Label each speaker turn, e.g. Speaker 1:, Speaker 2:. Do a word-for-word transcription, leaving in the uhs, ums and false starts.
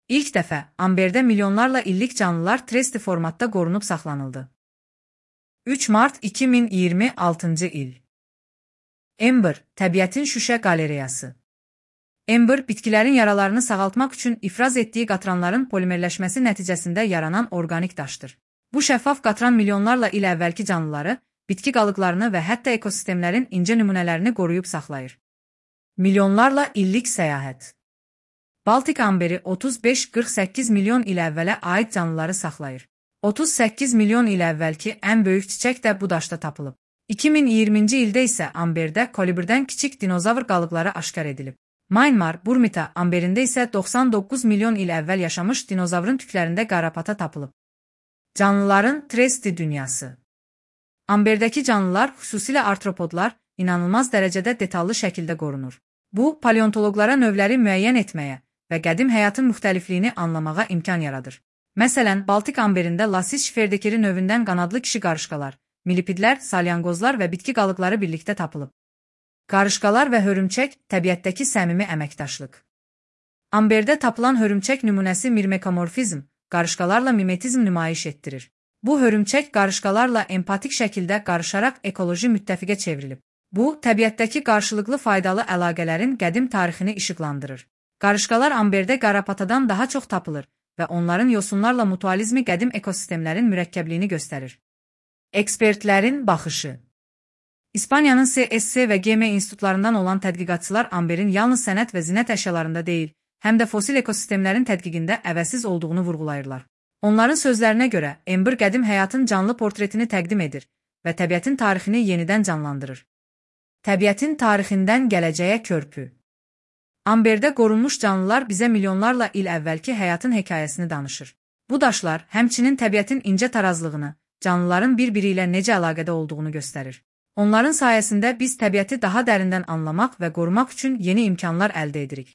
Speaker 1: İlk dəfə Amberdə milyonlarla illik canlılar tresti formatda qorunub saxlanıldı. üç mart iki min iyirmi altıncı il. Amber, təbiətin şüşə qalereyası. Amber, bitkilərin yaralarını sağaltmaq üçün ifraz etdiyi qatranların polimerləşməsi nəticəsində yaranan orqanik daşdır. Bu şəffaf qatran milyonlarla il əvvəlki canlıları, bitki qalıqlarını və hətta ekosistemlərin incə nümunələrini qoruyub saxlayır. Milyonlarla illik səyahət. Baltik amberi otuz beş qırx səkkiz milyon il əvvələ aid canlıları saxlayır. otuz səkkiz milyon il əvvəlki ən böyük çiçək də bu daşda tapılıb. iki min iyirminci ildə isə Amberdə kolibrdən kiçik dinozavr qalıqları aşkar edilib. Myanmar, Burmita amberində isə doxsan doqquz milyon il əvvəl yaşamış dinozavrın tüklərində qarapata tapılıb. Canlıların tresti dünyası. Amberdəki canlılar, xüsusilə artropodlar, inanılmaz dərəcədə detallı şəkildə qorunur. Bu, paleontoloqlara növləri müəyyən etməyə və qədim həyatın müxtəlifliyini anlamağa imkan yaradır. Məsələn, Baltik amberində Lassis şiferdekeri növündən qanadlı kişi qarışqalar, millipidlər, salyanqozlar və bitki qalıqları birlikdə tapılıb. Qarışqalar və hörümçək, təbiətdəki səmimi əməkdaşlıq. Amberdə tapılan hörümçək nümunəsi mirmekamorfizm, qarışqalarla mimetizm nümayiş etdirir. Bu hörümçək qarışqalarla empatik şəkildə qarışaraq ekoloji müttəfiqə çevrilib. Bu, təbiətdəki qarşılıqlı faydalı əlaqələrin qədim tarixini işıqlandırır. Qarışqalar amberdə qarapatadan daha çox tapılır və onların yosunlarla mutualizmi qədim ekosistemlərin mürəkkəbliyini göstərir. Ekspertlərin baxışı. İspaniyanın C S C və G M institutlarından olan tədqiqatçılar amberin yalnız sənət və zinət əşyalarında deyil, həm də fosil ekosistemlərin tədqiqində əvəzsiz olduğunu vurğulayırlar. Onların sözlərinə görə, Amber qədim həyatın canlı portretini təqdim edir və təbiətin tarixini yenidən canlandırır. Təbiətin tarixindən gələcəyə körpü. Amberdə qorunmuş canlılar bizə milyonlarla il əvvəlki həyatın hekayəsini danışır. Bu daşlar həmçinin təbiətin incə tarazlığını, canlıların bir-biri ilə necə əlaqədə olduğunu göstərir. Onların sayəsində biz təbiəti daha dərindən anlamaq və qorumaq üçün yeni imkanlar əldə edirik.